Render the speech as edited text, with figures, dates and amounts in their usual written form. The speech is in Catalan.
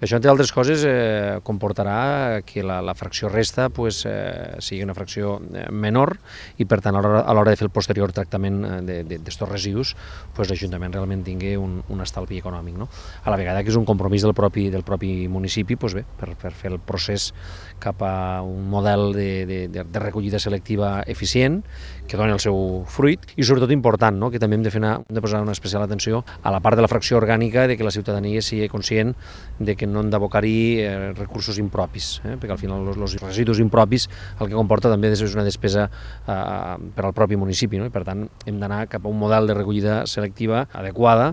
Això, entre altres coses, comportarà que la fracció resta sigui una fracció menor i, per tant, a l'hora de fer el posterior tractament d'estos residus, l'Ajuntament realment tingui un estalvi econòmic, no? A la vegada que és un compromís del propi municipi per fer el procés cap a un model de recollida selectiva eficient, que doni el seu fruit, i sobretot important, no? Que també hem de posar una especial atenció a la part de la fracció orgànica, de que la ciutadania sigui conscient de que no hem d'abocar-hi recursos impropis, perquè al final els residus impropis el que comporta també és una despesa per al propi municipi, no? I per tant hem d'anar cap a un model de recollida selectiva adequada